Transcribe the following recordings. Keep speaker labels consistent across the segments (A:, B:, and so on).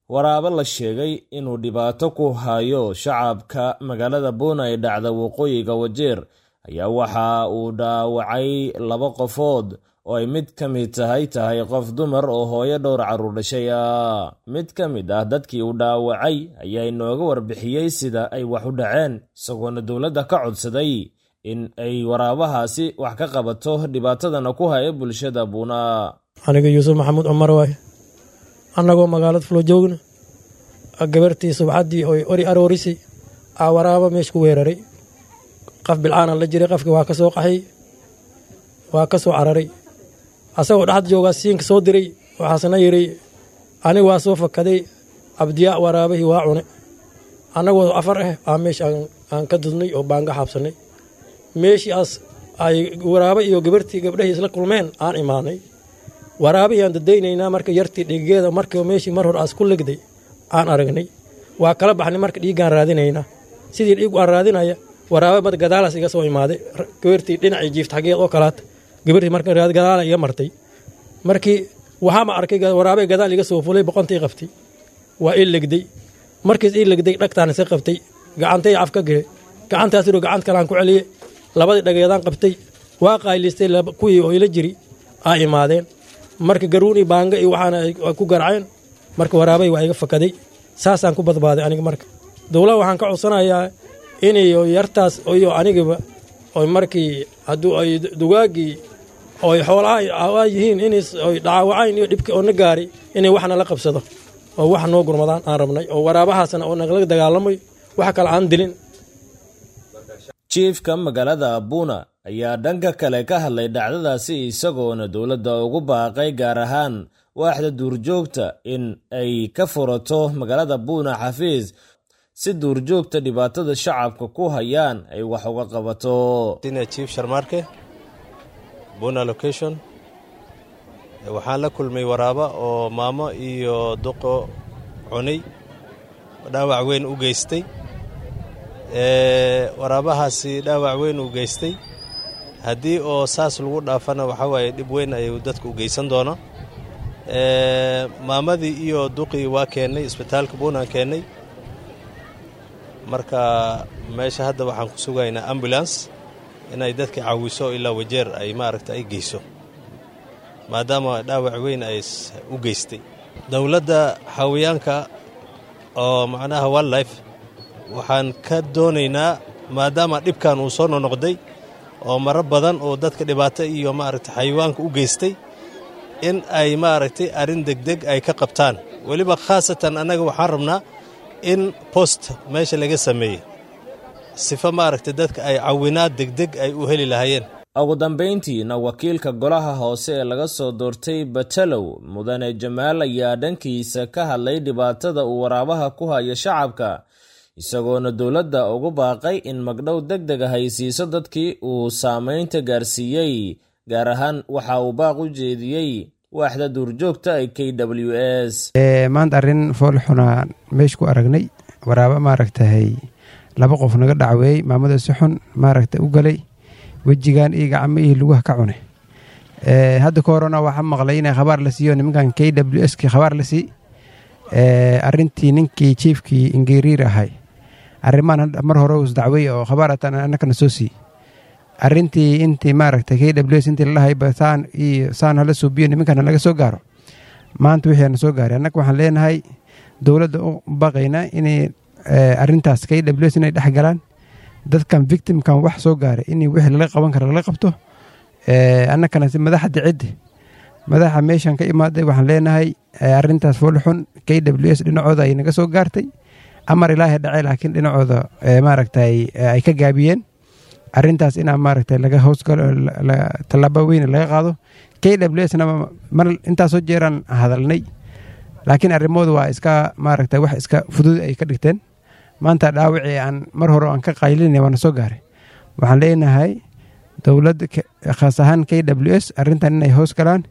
A: Waraabo la sheegay inuu dhibaato ku hayo shacabka magaalada Buuna ee dhacda waqooyiga Wajeer ayaa waxa uu dhaawacay laba qofood oo ay mid ka mid tahay qof dumar oo hooyo dhowr carruur dhashay ah. Mid ka mid ah dadkii uu dhaawacay ayaa inooga warbixiyey sida ay wax u dhaceen, isagoona dowladda ka codsaday in ay waraabahaasi wax ka qabato dhibaatadana ku haya bulshada Buuna.
B: Aniga Yuusuf Maxamuud Cumar waaye. Annagoo magaalada fulo joogna, gabartii subxaddii oy ori aroorisay aa waraaba meesha ku weeraray. Qaf bilcaana la jiray, qafkii waa ka soo qaxay, waa ka soo cararay. Asagoo dhexda joogaa siinka soo diray, waxaasna yidhi aniga waa soo fakaday, Cabdiyaa waraabihii waa cune. Annagoo afar ah aa meesha aan ka dudnay oo baanga xaabsannay. Meeshii aas ay waraabo iyo gabartii gabdhahii isla kulmeen aan imaanay. Waraabihii aan dadaynaynaa marka yartii dhiigeeda marka meeshii mar hor aas ku legday aan aragnay. Waa kala baxnay, marka dhiiggaan raadinaynaa. Sidii dhiigu aan raadinaya, waraaba mad gadaalaas iga soo imaaday, gabartii dhinacii jiifta xaggeed oo kalaata. Gabartii marka gadaala iga martay. Markii waxaama arkay waraabay gadaal iga soo fulay, boqontii qabtay, waa ii legday. Markiis ii legday, dhagtaan iska qabtay, gacantay af ka gelay, gacantaas iroo gacant kalaan ku celiyey, labadii dhageedaan qabtay, waa qayliistay. Kuwii oo ila jiri aa imaadeen. Marka garuun iyo baanga iyo waxaana ay ku garaceen. Marka waraabay waa iga fakaday, saasaan ku badbaaday aniga. Marka dowlaha waxaan ka codsanayaa inay yartaas iyo anigaba oy markii hadduu ay dugaaggii oy xoolaha yihiin inay oy dhaawacayn iyo dhibka oo na gaari inay waxna la qabsado oo wax noo gurmadaan aan rabnay, oo waraabahaasna oo nagala dagaalamay, wax kale aan dilin.
A: Jiifka magaalada Buuna ayaa dhanka kale ka hadlay dhacdadaasi, isagoona dowladda ugu baaqay, gaar ahaan waaxda duurjoogta, in ay ka furato magaalada Buuna xafiis si duurjoogta dhibaatada shacabka ku hayaan ay wax uga qabato.
C: Chief Sharmaarke, Buna location. Waxaan la kulmay waraaba oo maamo iyo duqo cunay, dhaawac weyn u geystay. Waraabahaasi dhaawac weyn u geystay, haddii oo saas lagu dhaafana waxaa waaye dhib weyn ayuu dadka u geysan doona. Maamadii iyo duqii waa keennay isbitaalka Buunaan keennay. Marka meesha hadda waxaan ku sugaynaa ambulance inay dadka caawiso ilaa Wajeer ay maaragta ay geyso, maadaama dhaawac weyn ay u geystay. Dowladda xawayaanka oo macnaha wildlife waxaan ka doonaynaa, maadaama dhibkan uu soo nonoqday oo maro badan oo dadka dhibaato iyo maaragta xayawaanka u geystay, in ay maaragtay arrin degdeg ay ka qabtaan. Weliba khaasatan annaga waxaan rabnaa in post meesha laga sameeyey sifa maaragtay dadka ay cawinaad degdeg ay u heli lahaayeen.
A: Ugu dambayntiina, wakiilka golaha hoose ee laga soo doortay Batalow, Mudane Jamaal, ayaa dhankiisa ka hadlay dhibaatada uu waraabaha ku hayo shacabka, isagoona dowladda ugu baaqay in magdhow deg deg ah ay siiso dadkii uu saameynta gaarsiiyey. Gaar ahaan waxa uu baaq u jeediyey waaxda duurjoogta ee KWS.
D: Maanta arrin foolxunaa meesha ku aragnay. Waraaba maaragtahay laba qof naga dhacweeyey, maamada si xun maaragta u galay, wejigan iyo gacmo iyo lugaha ka cune. Hadda ka horena waxaa maqlay inay khabaar la siiyo nimankan KWS ki khabaar la sii. Arrintii ninkii jiifkii Ingiriir ahay arrimahan mar hore us dacwey oo khabaar hataan annakana soo sii. Arrintii intii maaragtay KWS intii lalahayba saan iyo saan hala suubiyo, nimankana laga soo gaaro. Maanta wixii ana soo gaaray, annaga waxaan leenahay dowladda u baqaynaa inay arrintaas KWS inay dhex galaan, dadkan victimkan wax soo gaaray in wixii lala qaban kara lala qabto. Annakana si madaxda ciddi madaxa meeshan ka imaaday waxaan leenahay arrintaas foolxun KWS dhinacooda ay naga soo gaartay. Amar Ilaahay dhacay, laakiin dhinacooda maaragtay ay ka gaabiyeen arrintaas inaa maaragtay laga hoosgalo, tallaabo weyn laga qaado. KWS na mar intaasoo jeeraan hadalnay, laakiin arrimoodu waa iska maaragtay wax iska fudud ay ka dhigteen. Maanta dhaawacii aan mar hore aan ka qaylinay waana soo gaaray. Waxaan leenahay dowladda, khaas ahaan KWS, arrintan inay hoos galaan,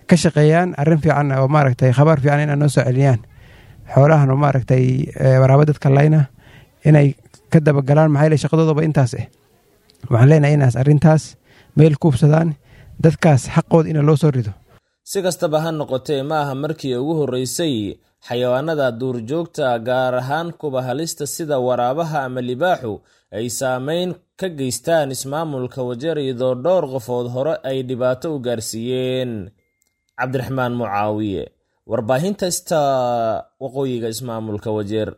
D: ka shaqeeyaan arrin fiican oo maaragtay khabaar fiican inay noo soo celiyaan. Xoolahan oo maaragtay waraaba dadka layna inay ka dabagalaan, maxaa yeelay shaqadoodaba intaas ah. Waxaan leenahay inaas arrintaas meel kuubsadaan, dadkaas xaqooda ina loo soo rido.
A: Si kastaba ha noqotee, ma aha markii ugu horreysay xayawaanada duurjoogta, gaar ahaan kuwa halista sida waraabaha ama libaaxu, ay saameyn ka geystaan ismaamulka Wajeer, iyadoo dhowr qofood hore ay dhibaato u gaarsiiyeen. Cabdiraxmaan Mucaawiye, warbaahinta Sta, waqooyiga ismaamulka Wajeer.